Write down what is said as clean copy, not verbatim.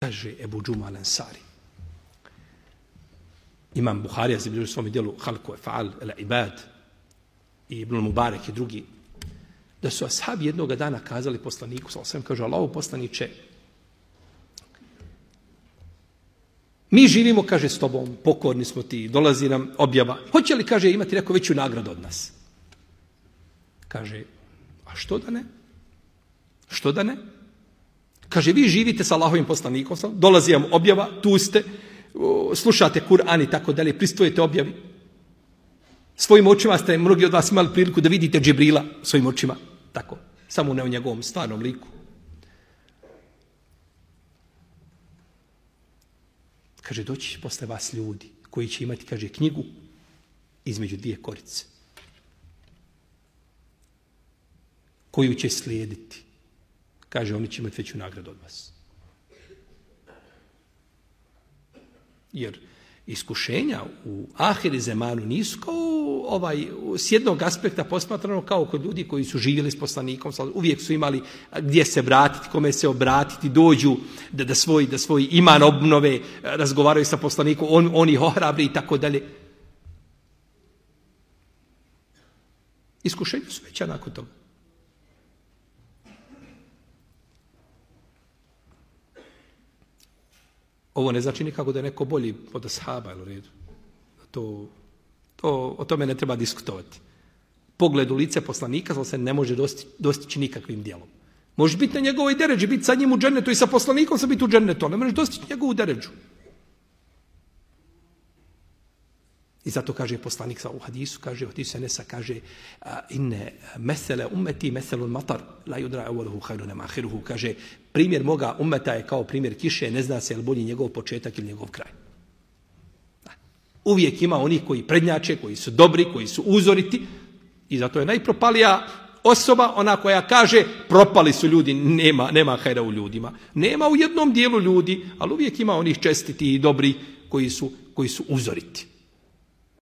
Kaže Ebu Džuma al-Ansari. Imam Buharija zabilježio u svom djelu Halku Efa'al el-Ibad i Ibn Mubarek i drugi, da su ashabi jednoga dana kazali poslaniku, kaže Allahu poslaniče, mi živimo, kaže, s tobom, pokorni smo ti, dolazi nam objava. Hoće li, kaže, imati neko veću nagradu od nas? Kaže, a što da ne? Što da ne? Kaže, vi živite sa Allahovim poslanikom, dolazi vam objava, tu ste, slušate Kur'an i tako dalje, pristojite objavi. Svojim očima ste, mnogi od vas imali priliku da vidite Džibrila svojim očima, tako, samo ne u njegovom stvarnom liku. Kaže, doći će posle vas ljudi koji će imati, kaže, knjigu između dvije korice, koju će slijediti. Kaže, oni će imati veću nagradu od vas. Jer iskušenja u ahiri zemanu nisu kao s jednog aspekta posmatrano kao kod ljudi koji su živjeli s poslanikom, uvijek su imali gdje se vratiti, kome se obratiti, dođu da svoj iman obnove, razgovaraju sa poslanikom, on ih ohrabri i tako dalje. Iskušenja su veća nakon toga. Ovo ne znači nikako da je neko bolji od ashaba, u redu. O tome ne treba diskutovati. Pogled u lice poslanika se ne može dostići nikakvim djelom. Možeš biti na njegovoj deređi, biti sa njim u džennetu i sa poslanikom sa biti u džennetu, ali ne možeš dostići njegovu deređu. I zato kaže poslanik u hadisu, kaže, hadisu Enesa, kaže, inne mesele ummeti meselun matar, la yudra awwaluhu khairun ma akhiruhu, kaže, primjer moga ummeta je kao primjer kiše, ne zna se je li bolji njegov početak ili njegov kraj. Uvijek ima onih koji prednjače, koji su dobri, koji su uzoriti, i zato je najpropalija osoba ona koja kaže, propali su ljudi, nema hajra u ljudima. Nema u jednom dijelu ljudi, ali uvijek ima onih čestiti i dobri koji su uzoriti.